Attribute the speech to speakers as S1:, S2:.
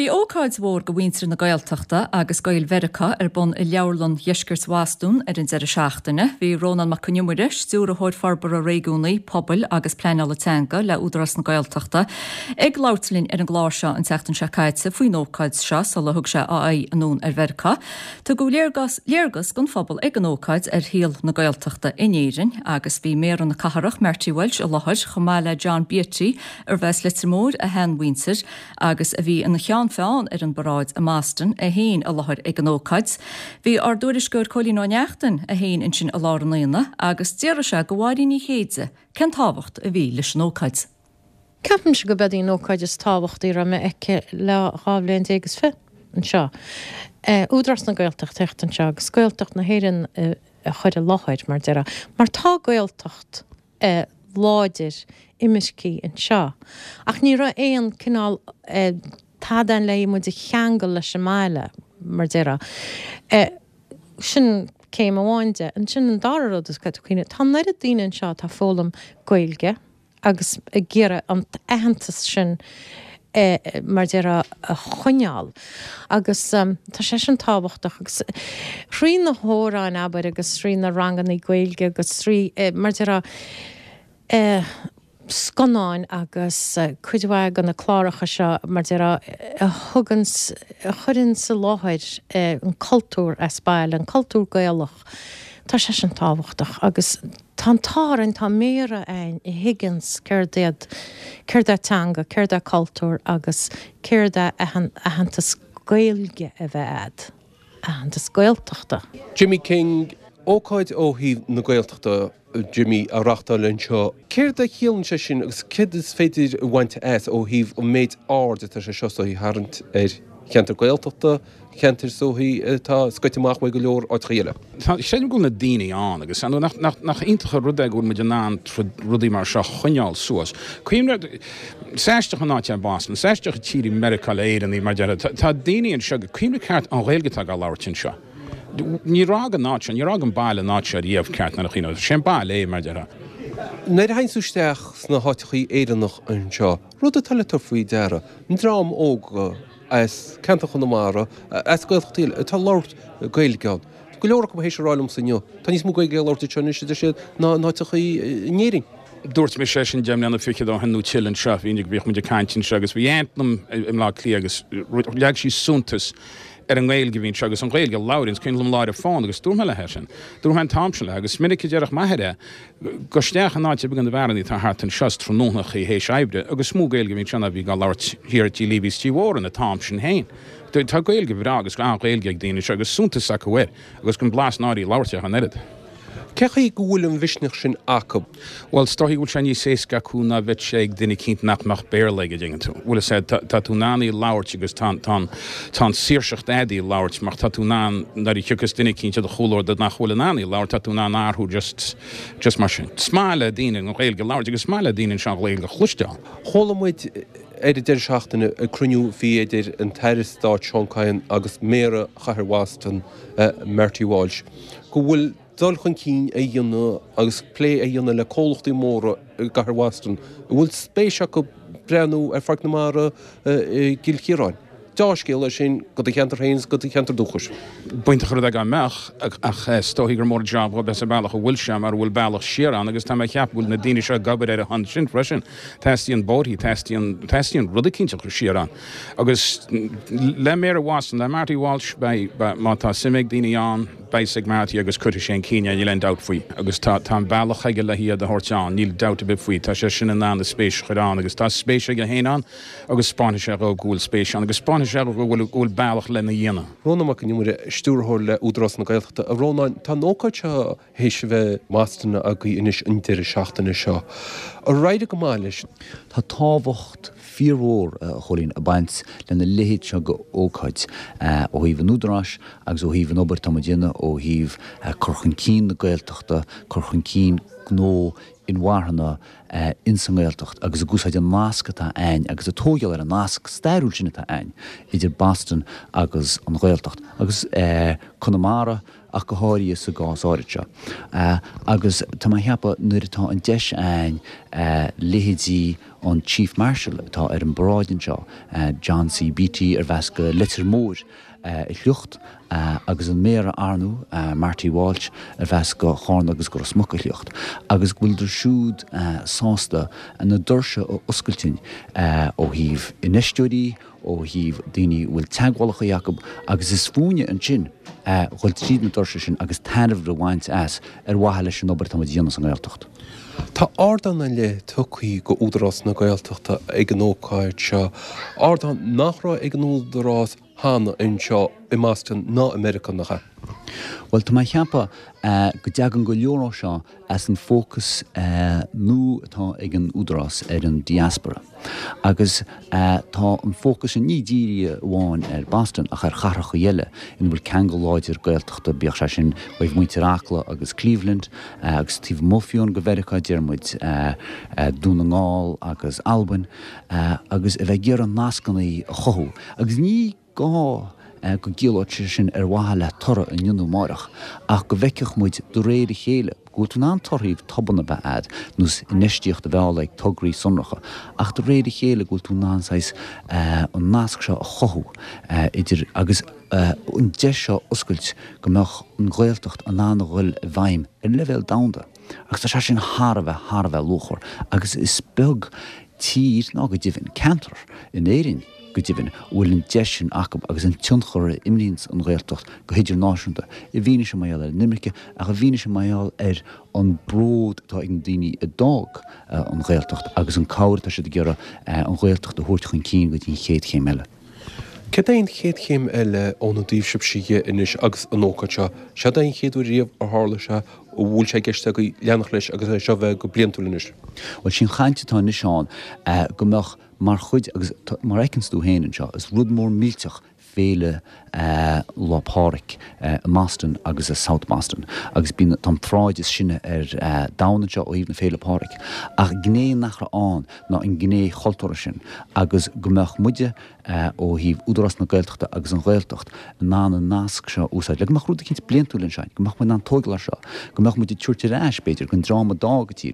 S1: Bhí ócáid mhór do mhuintir na Gaeltachta agus Gaeil Mheiriceá ar bun i Leabharlann Dheisceart Bhostún ar an deireadh seachtaine. Bhí Rónán Mac Con Iomaire, Stiúrthóir Forbartha Réigiúnaí, Pobail agus Pleanála Teanga le Údarás na Gaeltachta, ag labhairt linn ar an gclár seo an tseachtain seo caite faoin ócáid seo sula thug sé a aghaidh anonn ar Mheiriceá. Tugadh léargas léargas don phobal ag an ócáid ar shaol na Gaeltachta in Éirinn agus bhí Méara na Cathrach, Marty Walsh i láthair chomh maith le John Beattie, arbh as Leitir Móir a sheanmhuintir agus a bhí ina cheann feadhain ar an bparáid i mBoston, é féin i láthair ag an ócáid. Bhí ár dtuairisceoir Cóilín Ó Neachtain é féin ansin i lár an aonaigh agus d'fhiafraigh sé de Mháirín Ní Chéide cén tábhacht a bhí leis an ócáid.
S2: Ceapaimse go b'ead í an ócáid is tábhachtaí a raibh mé aici le 12 bhliain is fi anseo. Údarás na Gaeltachta theacht anseo agus Gaeltacht na hÉireann a chur i láthair, mar déarfá. Mar tá Gaeltacht láidir imircí anseo ach ní raibh aon cineál tada ann le muid a cheangal leis an mbaile, mar déarfá. Sin céim amháin de. Ansin an dara rud is cuimhneamh, tá an oiread daoine anseo atá ag foghlaim Gaeilge, agus ag iarraidh an t-aitheantas sin mar déarfá a choinneáil agus tá sé sin tábhachtach agus thrí na hamhráin abair agus thrí na rangannaí Gaeilge agus thrí mar déarfá scannáin agus cuid mhaith de na cláracha seo mar déarfá a thugann a chuireann sa láthair an cultúr as baile, an cultúr Gaelach, tá sé sin tábhachtach agus. Tá an t-ádh orainn, tá Méara a'inn a thuigeanns céard iad, céard é teanga, céard é cultúr agus céard é aitheantas Gaeilge a bheith a'd, aitheantas Gaeltachta.
S3: Jimmy King, Ócáid ó thaobh na Gaeltachta, Jimmy, á reachtáil anseo. Céard a chiallaíonn sé sin agus céard is féidir a bhaint as ó thaobh an méid aird atá sé seo is dóichí a tharraingt ar cheantar Gaeltachta, ceantar is dóichí atá scoite amach uaidh go leor áiteacha eile.
S4: Creidim go bhfuil na daoine ann agus nach iontach an rud é go bhfuil muid in ann rudaí mar seo a choinneáil suas. Cuimhnigh, is aisteach an áit é Boston, is aisteach an tír í Meiriceá le Éireannaigh mar déarfá. Tá daoine anseo, cuimhnigh ceart an Ghaeilge atá á labhairt anseo. Níor fhág an áit seo, níor fhág an baile an áit seo riamh ceart nuair a chuimhneofá. Sé an baile é mar déarfá.
S3: Nuair a théann tú isteach sna háiteachaí Éireannach anseo, rud atá le tabhairt faoi deara, an dream óg, as ceantar Chonamara, as Gaeltachtaí eile, atá ag labhairt Gaeilge ann. Tá go leor acu théis a rá liomsa inniu, tá níos mó Gaeilge á labhairt anseo anois, a deir siad, ná in áiteachaí in Éirinn.
S4: Dúirt mise é sin 10 mbliana fichead ó shin nó tuilleadh anseo, bhí, bhíodh muid ag caint anseo agus bhí aint liom i mBleá Cliath agus leag sí suntas ar an nGaeilge a bhí anseo agus an Ghaeilge a labhraíonn, is cuimhin liom lá ar an bhfón agus dúirt mé léi é sin. Dúirt mé an t-am sin léi agus is minic a déarfadh m'athair é, Gabh isteach in áit ar bith de na beárannaí atá thart anseo is tráthnónachaí théis oibre agus is mó Gaeilge a bhí anseo ná a bhí á labhairt thiar i dTí Leavey's Tí Mhóran an t-am sin féin. Tá Gaeilge bhreá agus an-Ghaeilge ag daoine anseo agus suntas acu air agus gan blas náire í labhairt ach an oiread.
S3: Cé chaoi go bhfuil an mhisneach sin acu?
S4: Bhuel, is dóichí go bhfuil sé níos éasca acu ná bheadh sé ag duine eicínt nach mbeadh Béarla aige, dtuigeann tú. Bhfuil fhios a'd, tá tú in ann í labhairt agus tá, tá an, tá an saoirseacht a'd í labhairt mar tá tú in ann, nuair a thiocfas duine eicínt i do chomhluadar nach bhfuil in ann í labhairt, tá tú in ann athrú just, just mar sin. Is maith le daoine an Ghaeilge a labhairt agus is maith le daoine anseo an Ghaeilge a chloisteáil.
S3: Chuala muid ar an deireadh seachtaine ag cruinniú a bhí idir an tAire Stáit Seán Kyne agus Méara Chathair Bhoston, Marty Walsh, go bhfuil dul chun cinn á dhéanamh agus plé á dhéanamh le comhlachtaí móra i gcathair Bhoston a bhfuil spéis acu breathnú ar Pháirc na Mara i gCill Chiaráin. Deá-scéal é sin do do cheantar féin is do do cheantar dúchais.
S4: B'iontach an rud é dá mbeadh, ach is dóichí gur mór an jab dhóibh as an bealach a bhfuil sé mar a bhfuil bealach siar ann agus tá mé ag ceapadh go bhfuil na daoine seo ag obair ar a shon sin freisin. Teastaíonn bóithrí, teastaíonn, teastaíonn rud eicínt a chur siar ann. Agus le Méara Bhoston, le Marty Walsh, beidh, má tá suim ag daoine ann, beidh 's ag Marty agus cuirfidh sé chun cinn é, níl aon dabht faoi. Agus tá, tá an bealach aige le hiad a thabhairt ann, níl dabht ar bith faoi. Tá sé sin in ann a spéis a chur ann agus tá spéis aige féin ann agus 'spáinfidh sé dhóibh go bhfuil spéis ann agus 'spáinfidh sé dhóibh go bhfuil, go bhfuil bealach lena dhéanamh.
S3: Rónán Mac Con Iomaire, Stiúrthóir le Údarás na Gaeltachta. A Rónáin, tá an ócáid seo théis a bheith i mBoston agaibh anois an deireadh seachtaine seo. Ar éirigh go maith leis?
S5: Tá tábhacht fíormhór, a Chóilín, ag baint lena leithéid seo d'ócáid ó thaobh an Údaráis agus ó thaobh an obair atá muid a dhéanamh ó thaobh cur chun cinn na Gaeltachta, cur chun cinn. gnó inmharthana ins an nGaeltacht agus ag úsáid an nasc atá a'ainn agus ag tóigeáil ar an nasc stairiúil sin atá a'ainn idir Boston agus an Ghaeltacht agus Conamara ach go háirithe sa gcás áirid seo. Agus tá mé a cheapadh nuair atá an deis a'ainn leithéidí an Chief Marshal atá ar an bparáid anseo, John C. Beatty arbh as go Leitir Móir a shliocht, agus an Méara ar ndóigh, Marty Walsh, arbh as go Charna agus go Ros Muc a shliocht, agus go bhfuileadar siúd sásta na doirse a oscailt dúinn ó thaobh infheisteoirí, ó thaobh daoine a bhfuil teagmhálacha acu agus is fúinne ansin a dhul tríd na doirse sin agus tairbhe a bhaint as ar mhaithe leis an obair atá muid a dhéanamh sa nGaeltacht.
S3: Tá ardán ar leith tugtha go Údarás na Gaeltachta ag an ócáid seo, ardán nach raibh ag an Údarás cheana anseo i mBoston ná i Meiriceá, nach ea?
S5: Bhuel, tá mé a cheapadh go dtagann go leor ó seo as an bhfócas nua atá ag an Údarás ar an diaspora. Agus tá an fócas sin ní dírithe amháin ar Boston ach ar chathracha eile ina bhfuil ceangal láidir Gaeltachta, bíodh sé sin ó thaobh muintir Acla agus Cleveland agus taobh amuigh fiú go Mheiriceá, deir muid Dún na nGall agus Albain, agus a bheith ag iarraidh nascanna a chothú. Agus ní gá go gciallódh sé sin ar mhaithe le toradh inniu nó amáireach, ach go bhfeicfeadh muid de réir a chéile go bhfuil tú in ann torthaí tobann a bheith a'd, nós infheistíocht a mhealladh ag tograí sonracha, ach de réir a chéile go bhfuil tú in ann saghas an nasc seo a chothú idir agus an deis seo a oscailt go mbeadh an Ghaeltacht in ann a dhul i bhfeidhm ar leibhéal domhanda. Agus tá sé sin thar a bheith, thar a bheith luachmhar agus is beag tír, ná go deimhin ceantar in Éirinn go deimhin, a bhfuil an deis sin acu agus an tionchar a imríonns an Ghaeltacht go hidirnáisiúnta, i bhfianaise mar gheall ar an imirce ach i bhfianaise mar gheall ar an bród atá ag na daoine a d'fhág an Ghaeltacht agus an cabhair atá siad ag iarraidh an Ghaeltacht a thabhairt chun cinn go dtí an chéad chéim eile.
S3: Céard é an chéad chéim eile óna dtaobh sibhse dhe anois agus an ócáid seo? Seod é an chéad uair riamh ar tharla sé, an bhfuil sé i gceist agaibh leanacht leis agus é seo a bheith go bliantúil anois?
S5: Bhuel, sí an chaint atá anois ann go mbeadh mar chuid, agus mar a fheiceanns tú féin anseo, is rud mór millteach Féile Lá Pádraig i mBoston agus i South Boston agus bíonn, tá an pharáid is sine ar domhan anseo ó thaobh na Féile Pádraig. Ach gné nach raibh ann ná an gné chultúrtha sin agus go mbeadh muide ó thaobh Údarás na Gaeltachta agus an Ghaeltacht in ann an nasc seo a úsáid le go mbeadh rud eicínt bliantúil anseo, go mbeadh muid in ann tógáil air seo, go mbeadh muid ag tabhairt ar ais, b'fhéidir, don dream a d'fhág an tír.